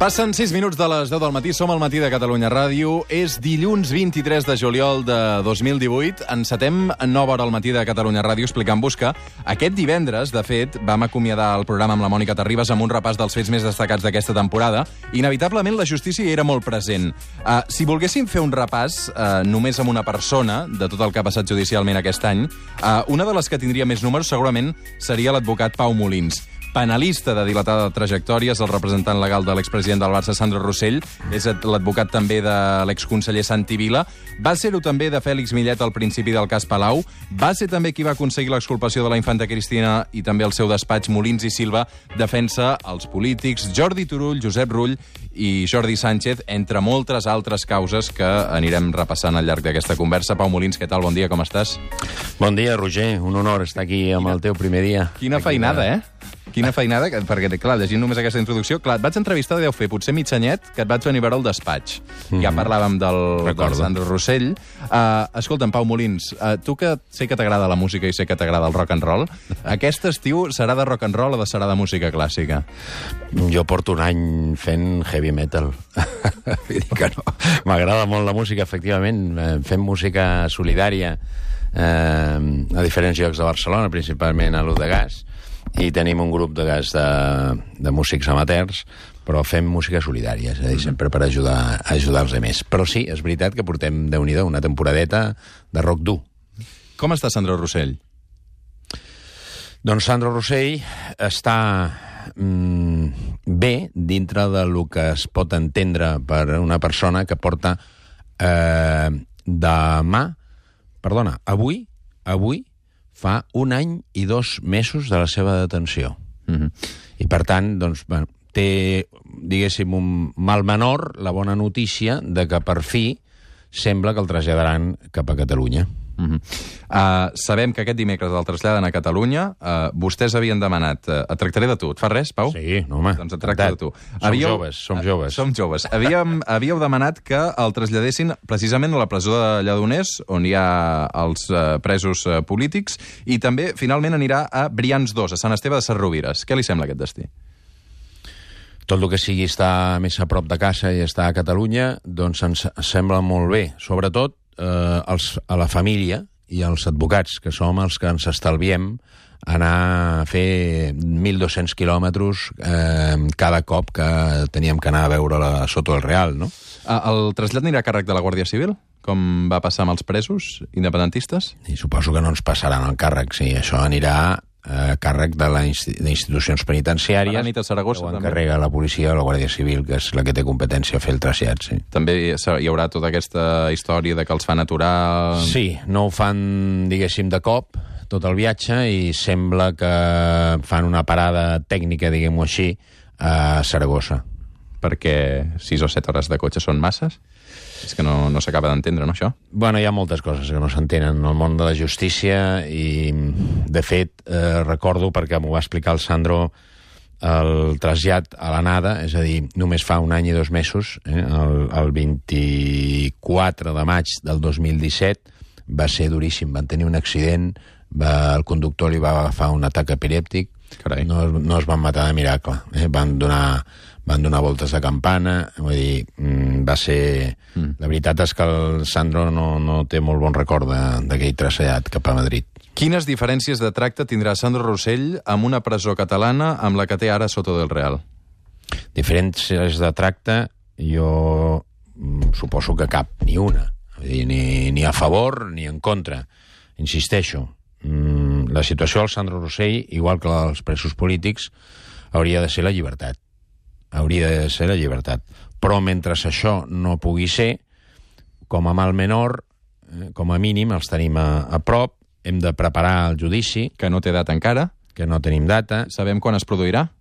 Passen 6 minuts de les 10 del matí, som al Matí de Catalunya Ràdio. És dilluns 23 de juliol de 2018. Encetem nova hora al Matí de Catalunya Ràdio explicant-vos que aquest divendres, de fet, vam acomiadar el programa amb la Mònica Terribas amb un repàs dels fets més destacats d'aquesta temporada. Inevitablement, la justícia hi era molt present. Si volguéssim fer un repàs només amb una persona de tot el que ha passat judicialment aquest any, una de les que tindria més números segurament seria l'advocat Pau Molins. Penalista de dilatada trajectòria, és el representant legal de l'expresident del Barça, Sandro Rosell, és l'advocat també de l'exconseller Santi Vila, va ser-ho també de Fèlix Millet al principi del cas Palau, va ser també qui va aconseguir l'exculpació de la infanta Cristina i també el seu despatx Molins i Silva defensa els polítics Jordi Turull, Josep Rull i Jordi Sánchez, entre moltes altres causes que anirem repassant al llarg d'aquesta conversa. Pau Molins, què tal? Bon dia, com estàs? Bon dia, Roger. Un honor estar aquí amb el teu primer dia. Quina feinada, eh? Quina feinada, perquè, clar, llegint només aquesta introducció, clar, et vaig entrevistar, deu fer potser mig anyet, que et vaig venir a veure al despatx. Ja parlàvem del Sandro Rosell. Escolta'm, Pau Molins, tu que sé que t'agrada la música i sé que t'agrada el rock and roll, aquest estiu serà de rock and roll o serà de música clàssica? Jo porto un any fent heavy metal. Vull dir que no. M'agrada molt la música, efectivament. Fem música solidària a diferents llocs de Barcelona, principalment a l'U de Gas, i tenim un grup de gas de músics amateurs, però fem música solidària, és a dir, sempre per ajudar els altres. Però sí, és veritat que portem, Déu-n'hi-do, una temporadeta de rock dur. Com està Sandro Rosell? Doncs Sandro Rosell està bé dintre del que es pot entendre per una persona que porta avui fa un any i 2 mesos de la seva detenció. I, per tant, doncs, bueno, té, diguéssim, un mal menor la bona notícia de que, per fi, sembla que el traslladaran cap a Catalunya. Sabem que aquest dimecres el traslladen a Catalunya. Vostès havien demanat... Et tractaré de tu. Et fa res, Pau? Sí, no, home. Doncs et tracto de tu. Som joves. Som joves. Havíeu demanat que el traslladessin precisament a la presó de Lledoners, on hi ha els presos polítics, i també, finalment, anirà a Brians 2, a Sant Esteve de Sesrovires. Què li sembla aquest destí? Tot el que sigui estar més a prop de casa i estar a Catalunya, doncs ens sembla molt bé. Sobretot a la família i als advocats, que som els que ens estalviem anar a fer 1.200 quilòmetres cada cop que teníem que anar a veure la Soto del Real, no? El trasllat anirà a càrrec de la Guàrdia Civil, com va passar amb els presos independentistes? I suposo que no ens passaran el càrrec, sí. Això anirà a càrrec d'institucions penitenciàries. A la nit a Saragossa, també. Ho encarrega la policia o la Guàrdia Civil, que és la que té competència a fer el trasllat, sí. També hi haurà tota aquesta història de que els fan aturar... Sí, no ho fan, diguéssim, de cop, tot el viatge, i sembla que fan una parada tècnica, diguem-ho així, a Saragossa. Perquè 6 o 7 hores de cotxe són masses? És que no s'acaba d'entendre, no, això? Bueno, hi ha moltes coses que no s'entenen en el món de la justícia i, de fet, recordo, perquè m'ho va explicar el Sandro, el trasllat a l'anada, és a dir, només fa un any i 2 mesos, el 24 de maig del 2017, va ser duríssim. Van tenir un accident, el conductor li va agafar un atac epilèptic, no es van matar de miracle, van donar voltes de campana, vull dir, va ser... La veritat és que el Sandro no té molt bon record d'aquell trasllat cap a Madrid. Quines diferències de tracte tindrà Sandro Rosell amb una presó catalana amb la que té ara Soto del Real? Diferències de tracte, jo suposo que cap, ni una. Vull dir, ni a favor ni en contra. Insisteixo, la situació del Sandro Rosell, igual que la dels presos polítics, hauria de ser la llibertat. Hauria de ser la llibertat. Però mentre això no pugui ser, com a mal menor, com a mínim els tenim a prop, hem de preparar el judici. Que no té data encara. Que no tenim data. Sabem quan es produirà?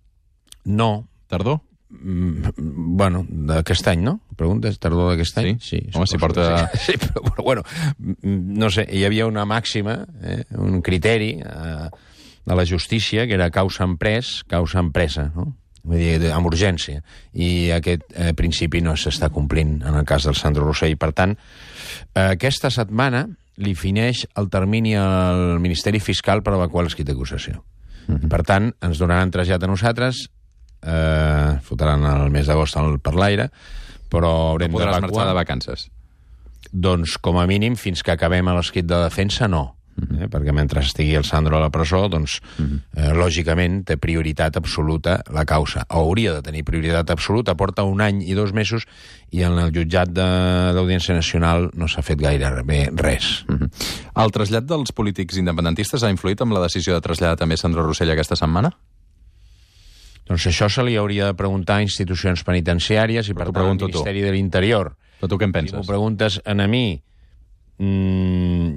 No. Tardor? Bueno, d'aquest any, no? Preguntes, tardor d'aquest any? Sí. Home, si porta... Sí, però bueno, no sé, hi havia una màxima, un criteri de la justícia, que era causa empresa, no? Vull dir, amb urgència. I aquest principi no s'està complint en el cas del Sandro Rosell. Per tant, aquesta setmana li fineix el termini al Ministeri Fiscal per evacuar l'escrit d'acusació. Per tant, ens donaran trasllat a nosaltres, fotran el mes d'agost per l'aire, però haurem no podràs d'evacuar... marxar de vacances. Doncs, com a mínim, fins que acabem l'escrit de defensa, no. Perquè mentre estigui el Sandro a la presó, doncs, lògicament, té prioritat absoluta la causa. Hauria de tenir prioritat absoluta. Porta 1 any i 2 mesos i en el jutjat d'Audiència Nacional no s'ha fet gaire bé res. El trasllat dels polítics independentistes ha influït amb la decisió de traslladar també Sandro Rosell aquesta setmana? Doncs això se li hauria de preguntar a institucions penitenciàries i, per tant, al Ministeri de l'Interior. Però tu què en penses? Si m'ho preguntes a mi,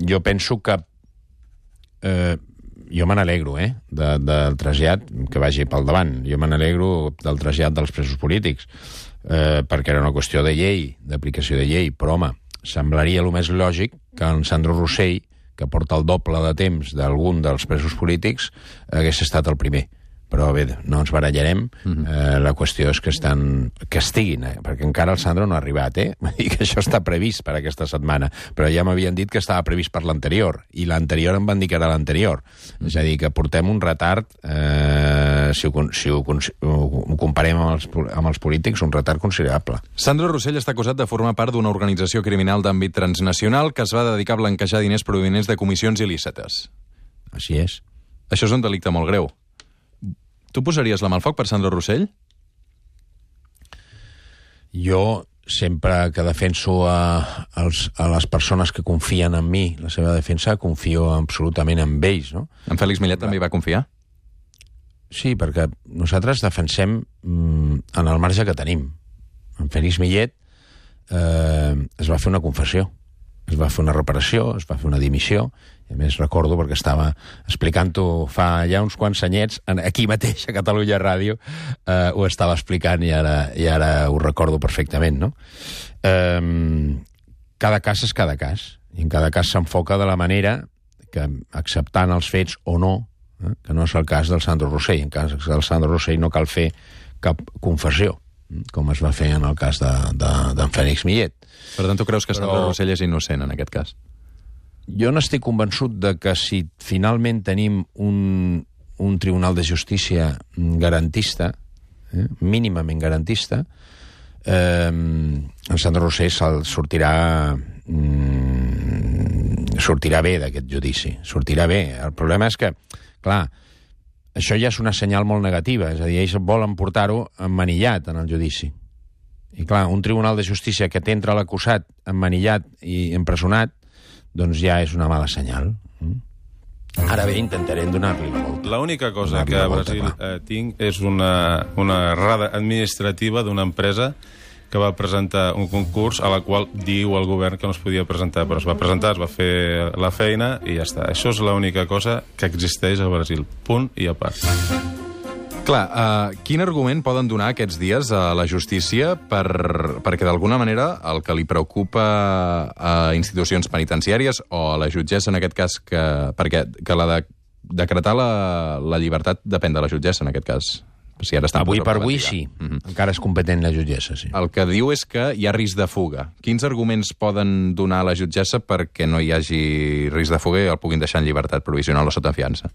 jo penso que jo me n'alegro, del trasllat, que vagi pel davant. Jo me n'alegro del trasllat dels presos polítics, perquè era una qüestió de llei, d'aplicació de llei, però, home, semblaria el més lògic que en Sandro Rosell, que porta el doble de temps d'algun dels presos polítics, hagués estat el primer. Però bé, no ens barallarem. La qüestió és que estiguin, perquè encara el Sandro no ha arribat, i que això està previst per aquesta setmana, però ja m'havien dit que estava previst per l'anterior, i l'anterior em van dir que era l'anterior. És a dir, que portem un retard, si ho comparem amb els polítics, un retard considerable. Sandro Rosell està acusat de formar part d'una organització criminal d'àmbit transnacional que es va dedicar a blanquejar diners provinents de comissions il·lícites. Així és. Això és un delicte molt greu. Tu posaries la mà al foc per Sandro Rosell? Jo sempre que defenso a les persones que confien en mi, la seva defensa, confio absolutament en ells, no? En Félix Millet també hi va confiar? Sí, perquè nosaltres defensem en el marge que tenim. En Félix Millet es va fer una confessió, es va fer una reparació, es va fer una dimissió, i a més recordo, perquè estava explicant-ho fa ja uns quants anyets, aquí mateix, a Catalunya Ràdio, ho estava explicant i ara ho recordo perfectament, no? Cada cas és cada cas, i en cada cas s'enfoca de la manera que, acceptant els fets o no, que no és el cas del Sandro Rosell. En cas del Sandro Rosell no cal fer cap confessió, com es va fer en el cas d'en Félix Millet. Per tant, tu creus que Sandro Rosell és innocent en aquest cas? Jo n'estic convençut de que si finalment tenim un tribunal de justícia garantista, mínimament garantista, en Sandro Rosell sortirà bé d'aquest judici. Sortirà bé. El problema és que, clar, això ja és una senyal molt negativa. És a dir, ells volen portar-ho emmanillat en el judici. I, clar, un tribunal de justícia que t'entra l'acusat emmanillat i empresonat, doncs ja és una mala senyal. Ara bé, intentarem donar-li la volta. L'única cosa que a Brasil tinc és una errada administrativa d'una empresa que va presentar un concurs a la qual diu el govern que no es podia presentar, però es va presentar, es va fer la feina i ja està. Això és l'única cosa que existeix a Brasil. Punt i a part. Clar, quin argument poden donar aquests dies a la justícia perquè d'alguna manera el que li preocupa a institucions penitenciàries o a la jutgessa en aquest cas perquè decretar la llibertat depèn de la jutgessa en aquest cas? Si ara avui per avui sí. Encara és competent la jutgessa, sí. El que diu és que hi ha risc de fuga. Quins arguments poden donar a la jutgessa perquè no hi hagi risc de fuga i el puguin deixar en llibertat provisional o sota fiança?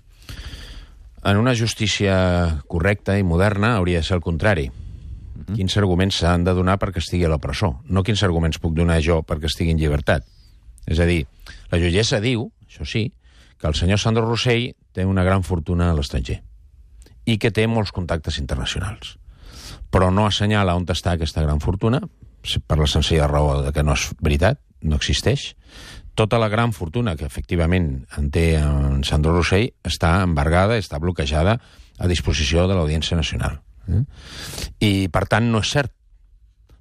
En una justícia correcta i moderna hauria de ser el contrari. Quins arguments s'han de donar perquè estigui a la presó? No quins arguments puc donar jo perquè estigui en llibertat. És a dir, la jutgessa diu, això sí, que el senyor Sandro Rosell té una gran fortuna a l'estranger i que té molts contactes internacionals. Però no assenyala on està aquesta gran fortuna, per la senzilla raó de que no és veritat, no existeix. Tota la gran fortuna que efectivament en té en Sandro Rosell està embargada, està bloquejada a disposició de l'Audiència Nacional. I, per tant, no és cert.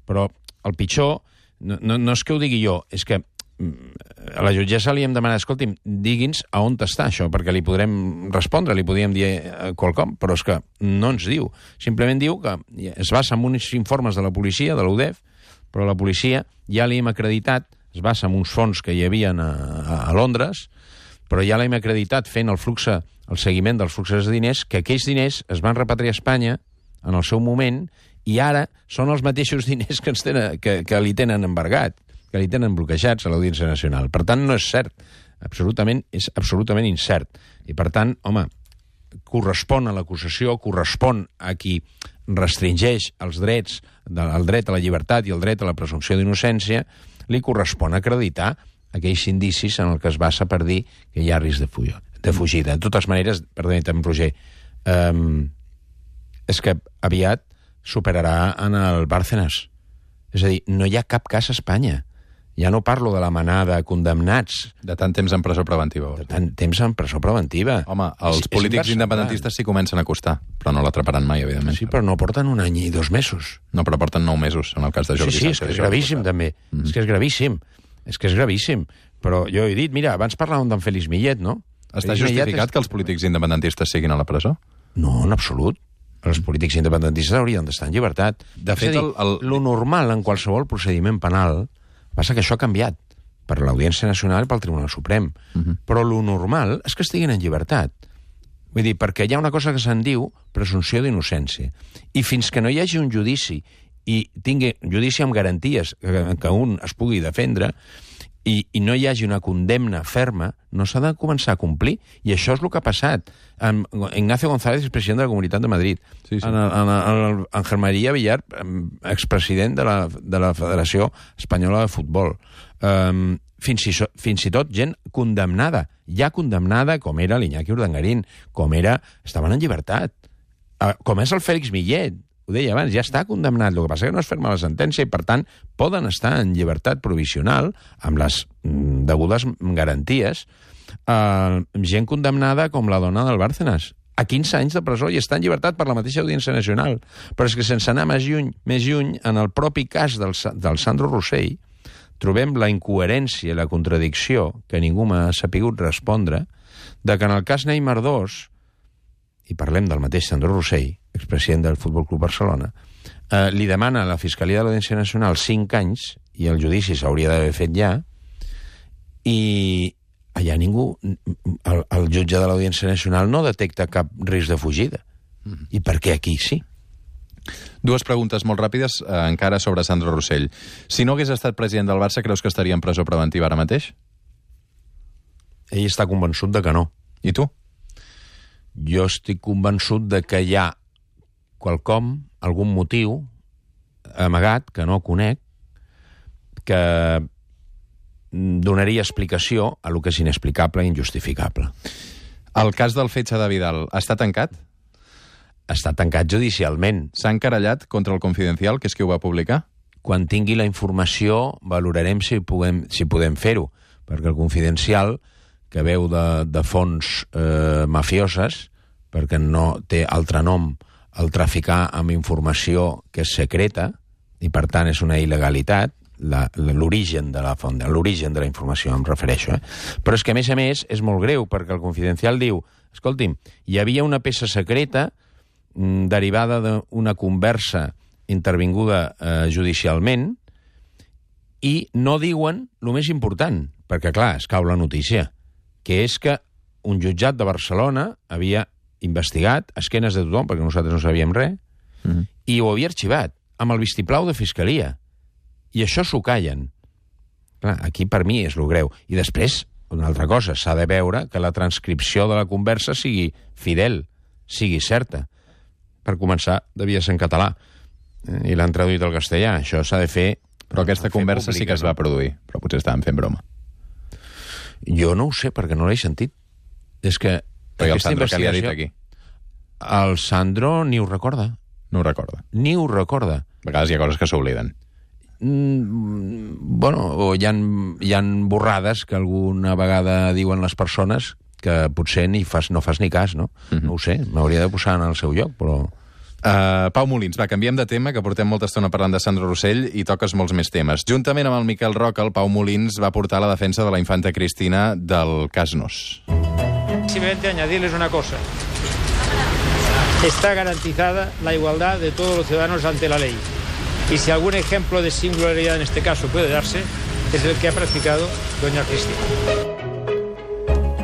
Però el pitjor, no és que ho digui jo, és que a la jutgessa li hem demanat, escolti'm, digui'ns a on està això, perquè li podrem respondre, li podríem dir qualcom, però és que no ens diu. Simplement diu que es basa en uns informes de la policia, de l'UDEF, però la policia ja li hem acreditat, es basa en uns fons que hi havia a Londres, però ja l'hem acreditat fent el flux el seguiment dels fluxos de diners, que aquells diners es van repatriar a Espanya en el seu moment i ara són els mateixos diners que li tenen embargat, que li tenen bloquejats a l'Audiència Nacional. Per tant, no és cert. És absolutament incert. I, per tant, home, correspon a l'acusació, correspon a qui restringeix els drets, el dret a la llibertat i el dret a la presumpció d'innocència, li correspon acreditar aquells indicis en el que es basa per dir que hi ha risc de fugida. De totes maneres, perdoni també, Roger, és que aviat superarà en el Bárcenas. És a dir, no hi ha cap cas a Espanya. Ja no parlo de la manada de condemnats. De tant temps en presó preventiva. De tant temps en presó preventiva. Home, els polítics independentistes s'hi comencen a acostar, però no l'atraparan mai, evidentment. Sí, però no porten 1 any i 2 mesos. No, però porten 9 mesos, en el cas de Jordi Sánchez. Sí, és que és gravíssim, també. És que és gravíssim. És que és gravíssim. Però jo he dit, mira, abans parlàvem d'en Félix Millet, no? Està justificat que els polítics independentistes siguin a la presó? No, en absolut. Els polítics independentistes haurien d'estar en llibertat. De fet, lo normal en qualsevol procediment penal passa que això ha canviat per l'Audiència Nacional i pel Tribunal Suprem. Però lo normal és que estiguin en llibertat. Vull dir, perquè hi ha una cosa que se'n diu presumpció d'innocència. I fins que no hi hagi un judici i tingui judici amb garanties que un es pugui defendre i no hi hagi una condemna ferma, no s'ha de començar a complir. I això és el que ha passat. Ignacio González, president de la Comunitat de Madrid. Sí. Ángel María Villar, expresident de la Federació Espanyola de Futbol. Fins i tot gent condemnada. Ja condemnada, com era l'Iñaki Urdangarín, estaven en llibertat. Com és el Félix Millet. Ho deia abans, ja està condemnat. El que passa que no es ferma la sentència i, per tant, poden estar en llibertat provisional amb les degudes garanties gent condemnada com la dona del Bárcenas a 15 anys de presó i està en llibertat per la mateixa Audiència Nacional. Però és que sense anar més lluny, en el propi cas del Sandro Rosell trobem la incoherència i la contradicció, que ningú m'ha sapigut respondre, de que en el cas Neymar 2, i parlem del mateix Sandro Rosell, expresident del Futbol Club Barcelona, li demana a la Fiscalia de l'Audiència Nacional 5 anys, i el judici s'hauria d'haver fet ja, i allà ningú, el jutge de l'Audiència Nacional no detecta cap risc de fugida. I per què aquí sí? 2 preguntes molt ràpides encara sobre Sandro Rosell. Si no hagués estat president del Barça, creus que estaria en presó preventiva ara mateix? Ell està convençut de que no. I tu? Jo estic convençut de que hi ha quelcom, algun motiu amagat, que no conec, que donaria explicació a lo que és inexplicable i injustificable. El cas del Fetge de Vidal està tancat? Està tancat judicialment. S'ha encarallat contra el Confidencial, que és qui ho va publicar? Quan tingui la informació valorarem si podem fer-ho, perquè el Confidencial, que veu de fonts mafioses, perquè no té altre nom el traficar amb informació que és secreta, i per tant és una il·legalitat, l'origen de la font, l'origen de la informació em refereixo. Però és que, a més, és molt greu, perquè el Confidencial diu, escolti'm, hi havia una peça secreta derivada d'una conversa intervinguda judicialment i no diuen el més important, perquè, clar, es cau la notícia, que és que un jutjat de Barcelona havia investigat a esquenes de tothom, perquè nosaltres no sabíem res, i ho havia arxivat, amb el vistiplau de Fiscalia. I això s'ho callen. Clar, aquí per mi és lo greu. I després, una altra cosa, s'ha de veure que la transcripció de la conversa sigui fidel, sigui certa. Per començar, devia ser en català. I l'han traduït al castellà. Això s'ha de fer... Però aquesta conversa sí que es va produir, però potser estaven fent broma. Jo no ho sé, perquè no l'he sentit. És que... Perquè el Sandro, què li ha dit aquí? El Sandro ni ho recorda. No ho recorda. Ni ho recorda. A vegades hi ha coses que s'obliden. Bueno, o hi ha borrades que alguna vegada diuen les persones que potser no fas ni cas, no? No ho sé, m'hauria de posar en el seu lloc, però... Pau Molins, va, canviem de tema, que portem molta estona parlant de Sandro Rosell i toques molts més temes. Juntament amb el Miquel Roca, el Pau Molins va portar la defensa de la infanta Cristina del cas Nos. Simplemente añadirles una cosa. Está garantizada la igualdad de todos los ciudadanos ante la ley. Y si algún ejemplo de singularidad en este caso puede darse, es el que ha practicado doña Cristina.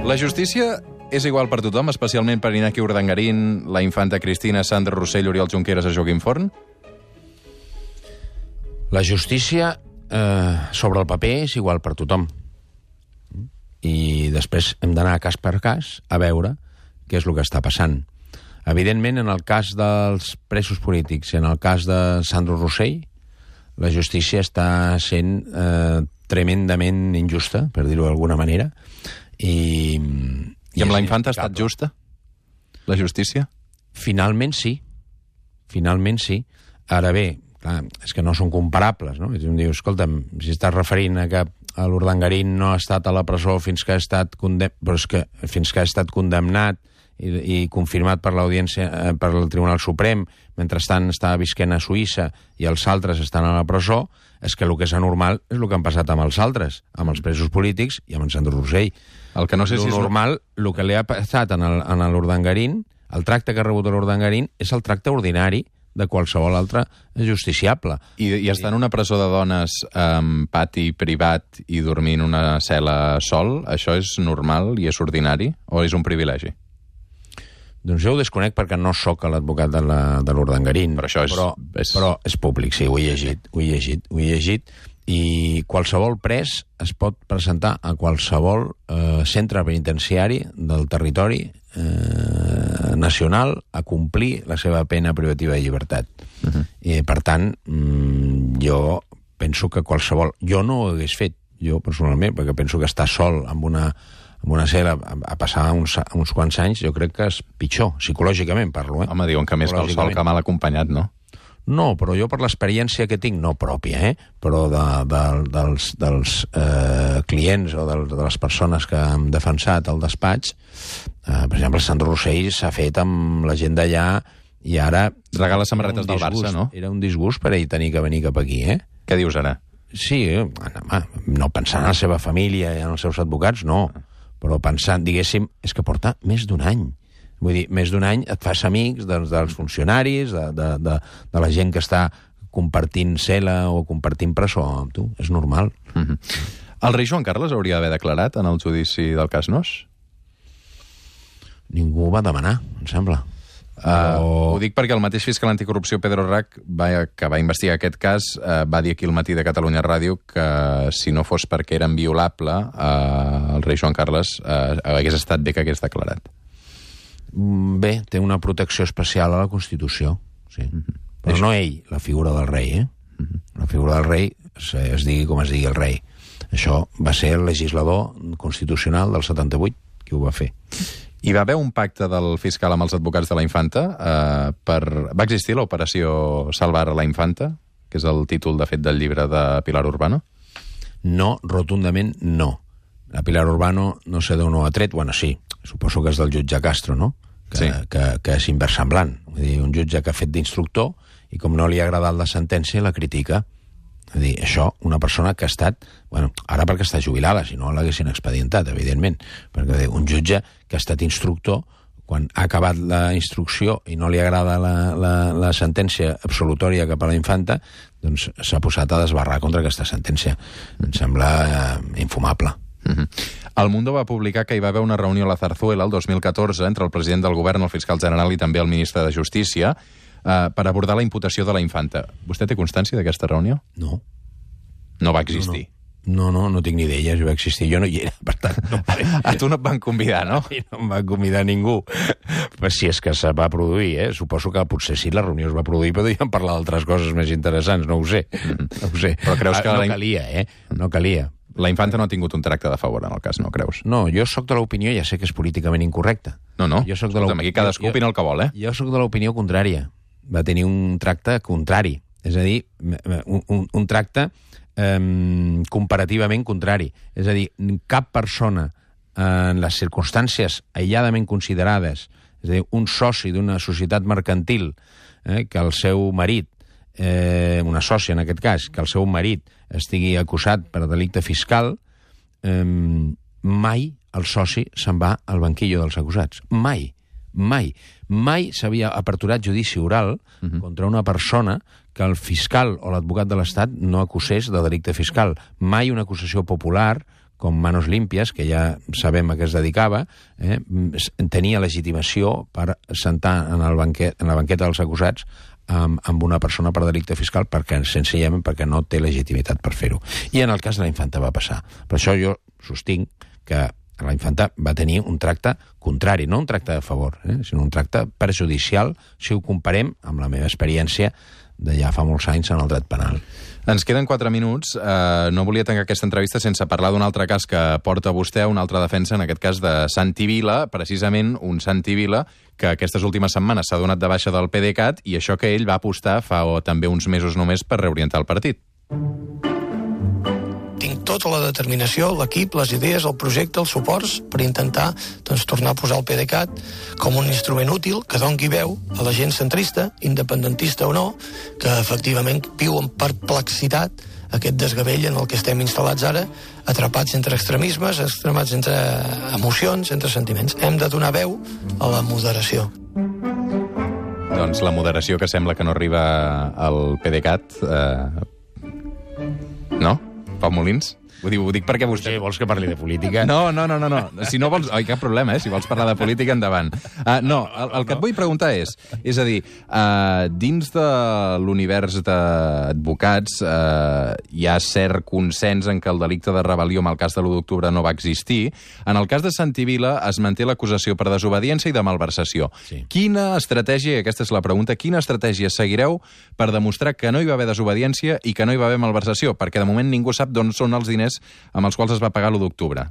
La justícia és igual per tothom, especialment per Iñaki Urdangarín, la infanta Cristina, Sandra Rossell, Oriol Junqueras o Joaquim Forn? La justícia sobre el paper és igual per tothom. I després hem d'anar cas per cas a veure què és el que està passant. Evidentment, en el cas dels presos polítics i en el cas de Sandro Rossell, la justícia està sent tremendament injusta, per dir-ho d'alguna manera. I amb la infanta ha estat justa, la justícia? Finalment sí. Finalment sí. Ara bé, clar, és que no són comparables, no? Em diu, escolta'm, si estàs referint a que l'Urdangarín no ha estat a la presó fins que ha estat condemnat i confirmat per l'audiència, per el Tribunal Suprem, mentrestant està visquent a Suïssa i els altres estan a la presó, és que el que és anormal és el que han passat amb els altres, amb els presos polítics i amb en Sandro Rossell. El que no sé si és normal, el que li ha passat a l'Urdangarín, el tracte que ha rebut l'Urdangarín, és el tracte ordinari de qualsevol altre justiciable. I estar en una presó de dones amb pati privat i dormir en una cel·la sol, això és normal i és ordinari o és un privilegi? Doncs jo ho desconec perquè no sóc l'advocat de l'Urdangarín. Però això però és públic, sí, ho he llegit. I qualsevol pres es pot presentar a qualsevol centre penitenciari del territori nacional a complir la seva pena privativa de llibertat. I, per tant, jo penso que qualsevol... Jo no ho hagués fet, jo personalment, perquè penso que estar sol amb una cel·la a passar uns quants anys, jo crec que és pitjor, psicològicament parlo. Home, diuen que més que el sol que mal acompanyat, no? No, però jo per l'experiència que tinc, no pròpia, però dels clients o de les persones que han defensat al despatx, per exemple, Sandro Rossell s'ha fet amb la gent d'allà i ara... Regala samarretes del Barça, no? Era un disgust per ell tenir que venir cap aquí, Què dius ara? Sí, no pensant en la seva família i en els seus advocats, no. Però pensant, diguéssim, és que porta més d'un any. Vull dir, més d'un any et fas amics dels funcionaris, de la gent que està compartint cel·la o compartint presó amb tu. És normal. El rei Joan Carles hauria d'haver declarat en el judici del cas Nos? Ningú ho va demanar, em sembla. Ho dic perquè el mateix fiscal anticorrupció Pedro Rac, que va investigar aquest cas, va dir aquí al Matí de Catalunya Ràdio que si no fos perquè era inviolable, el rei Joan Carles hagués estat bé que hagués declarat. Bé, té una protecció especial a la Constitució, sí. Però no ell, la figura del rei, La figura del rei, es digui com es digui el rei. Això va ser el legislador constitucional del 78 qui ho va fer. Hi va haver un pacte del fiscal amb els advocats de la infanta va existir l'operació Salvar a la infanta, que és el títol, de fet, del llibre de Pilar Urbano? No, rotundament no. La Pilar Urbano no sé d'on ho ha tret, bueno, sí, suposo que és del jutge Castro, no? Que és inversemblant. Vull dir, un jutge que ha fet d'instructor i com no li ha agradat la sentència, la critica. Vull dir, això, una persona que ha estat... Bueno, ara perquè està jubilada, si no l'haguessin expedientat, evidentment. Perquè un jutge que ha estat instructor, quan ha acabat la instrucció i no li agrada la sentència absolutòria cap a la infanta, doncs s'ha posat a desbarrar contra aquesta sentència. Em sembla infumable. El Mundo va publicar que hi va haver una reunió a la Zarzuela el 2014 entre el president del govern, el fiscal general i també el ministre de Justícia per abordar la imputació de la infanta. Vostè té constància d'aquesta reunió? No. No va existir? No tinc ni idea, si va existir. Jo no hi era, per tant... No a tu no et van convidar, no? No em va convidar ningú. Però si és que se va produir, Suposo que potser sí, la reunió es va produir, però podíem parlar d'altres coses més interessants, no ho sé. No ho sé. Però creus que... No calia, No calia. La infanta no ha tingut un tracte de favor en el cas, no creus? No, jo sóc de l'opinió, ja sé que és políticament incorrecte. No. Jo soc de escolta'm, aquí cadascú opina el que vol, Jo sóc de l'opinió contrària. Va tenir un tracte contrari. És a dir, un tracte comparativament contrari. És a dir, cap persona en les circumstàncies aïlladament considerades, és a dir, un soci d'una societat mercantil, que el seu marit, una sòcia en aquest cas, que el seu marit estigui acusat per delicte fiscal, mai el soci se'n va al banquillo dels acusats. Mai s'havia aperturat judici oral contra una persona que el fiscal o l'advocat de l'Estat no acusés de delicte fiscal. Mai una acusació popular com Manos Límpies, que ja sabem a què es dedicava, tenia legitimació per sentar en la banqueta dels acusats amb una persona per delicte fiscal senzillament perquè no té legitimitat per fer-ho. I en el cas de la infanta va passar. Per això jo sostinc que la infanta va tenir un tracte contrari, no un tracte de favor, sinó un tracte perjudicial si ho comparem amb la meva experiència de ja fa molts anys en el dret penal. Ens queden 4 minuts. No volia tancar aquesta entrevista sense parlar d'un altre cas que porta vostè, una altra defensa, en aquest cas de Santi Vila, precisament un Santi Vila que aquestes últimes setmanes s'ha donat de baixa del PDeCAT i això que ell va apostar fa també uns mesos només per reorientar el partit. Tinc tota la determinació, l'equip, les idees, el projecte, els suports per intentar tornar a posar el PDeCAT com un instrument útil que doni veu a la gent centrista, independentista o no, que efectivament viu en perplexitat aquest desgavell en el que estem instal·lats ara, atrapats entre extremismes, atrapats entre emocions, entre sentiments. Hem de donar veu a la moderació. Doncs la moderació que sembla que no arriba al PDeCAT... No? Pau Molins? Ho dic perquè vostè... Sí, vols que parli de política? No. Si no vols... cap problema, si vols parlar de política, endavant. No, el que et vull preguntar és a dir, dins de l'univers d'advocats hi ha cert consens en que el delicte de rebel·lió en el cas de l'1 d'octubre no va existir. En el cas de Santi Vila es manté l'acusació per desobediència i de malversació. Sí. Quina estratègia, i aquesta és la pregunta, quina estratègia seguireu per demostrar que no hi va haver desobediència i que no hi va haver malversació? Perquè de moment ningú sap d'on són els diners amb els quals es va pagar l'1 d'octubre.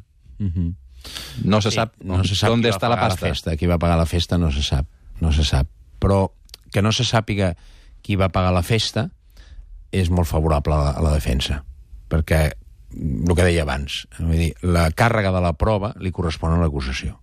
No se sap on està la pasta. Qui va pagar la festa no se sap. Però que no se sàpiga qui va pagar la festa és molt favorable a la defensa. Perquè, el que deia abans, vull dir, la càrrega de la prova li correspon a l'acusació.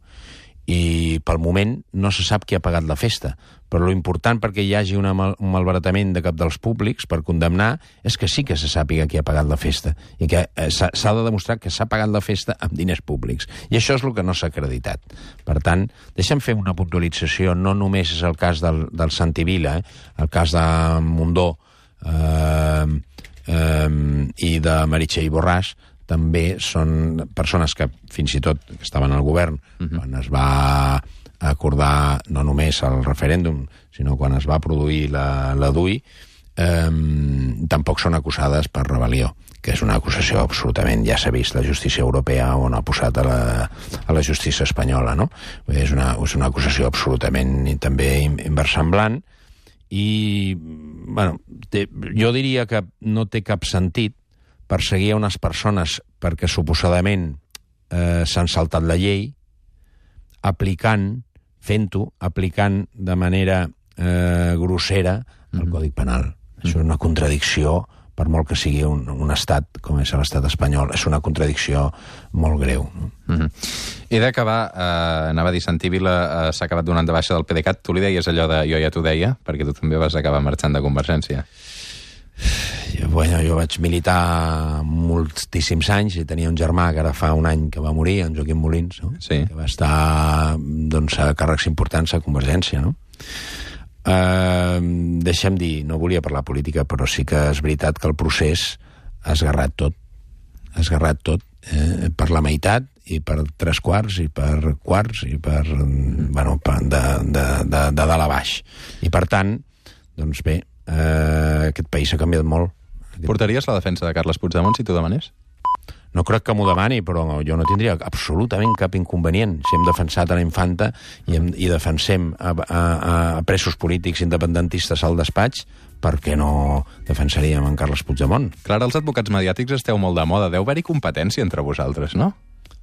I pel moment no se sap qui ha pagat la festa, però l'important perquè hi hagi un malbaratament de cap dels públics per condemnar és que sí que se sàpiga qui ha pagat la festa i que s'ha de demostrar que s'ha pagat la festa amb diners públics. I això és el que no s'ha acreditat. Per tant, deixa'm fer una puntualització. No només és el cas del Santi Vila, el cas de Mundó i de Meritxell Borràs, també són persones que fins i tot estaven al govern quan es va acordar no només el referèndum, sinó quan es va produir la DUI, tampoc són acusades per rebel·lió, que és una acusació absolutament, ja s'ha vist la justícia europea on ha posat a la justícia espanyola, no? És una acusació absolutament també inversemblant i, bueno, jo diria que no té cap sentit perseguir a unes persones perquè suposadament s'han saltat la llei, aplicant de manera grossera el Codi Penal. Això és una contradicció, per molt que sigui un estat com és l'estat espanyol, és una contradicció molt greu. He d'acabar, anava a dir, Santi Vila s'ha acabat donant de baixa del PDeCAT. Tu li deies allò de jo ja t'ho deia, perquè tu també vas acabar marxant de Convergència. Bueno, jo vaig militar moltíssims anys i tenia un germà que ara fa un any que va morir, en Joaquim Molins, no? Sí. Que va estar a càrrecs importants a Convergència, no? Deixa'm dir, no volia parlar política, però sí que és veritat que el procés ha esgarrat tot, per la meitat i per 3/4 i per quarts i per, bueno, de dalt a baix. I per tant, doncs bé, aquest país ha canviat molt. Portaries la defensa de Carles Puigdemont si t'ho demanés? No crec que m'ho demani, però jo no tindria absolutament cap inconvenient. Si hem defensat a la infanta i defensem a presos polítics independentistes al despatx, per què no defensaríem en Carles Puigdemont? Clar, els advocats mediàtics esteu molt de moda. Deu haver-hi competència entre vosaltres, no?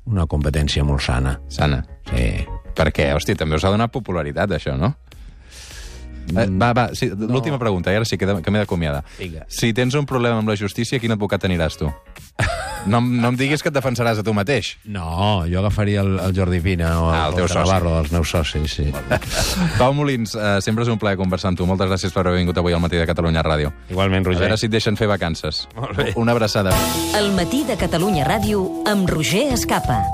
Una competència molt sana. Sana? Sí. Per què? Hòstia, també us ha donat popularitat, això, no? Sí, l'última pregunta, i ara sí que m'he d'acomiadar. Si tens un problema amb la justícia, quin advocat aniràs tu? No em diguis que et defensaràs a tu mateix. No, jo agafaria el Jordi Pina o el teu soci. Navarro, els meus socis, sí. Pau Molins, sempre és un plaer conversar amb tu. Moltes gràcies per haver vingut avui al Matí de Catalunya Ràdio. Igualment, Roger. A veure si et deixen fer vacances. Molt bé. Una abraçada. El Matí de Catalunya Ràdio amb Roger Escapa.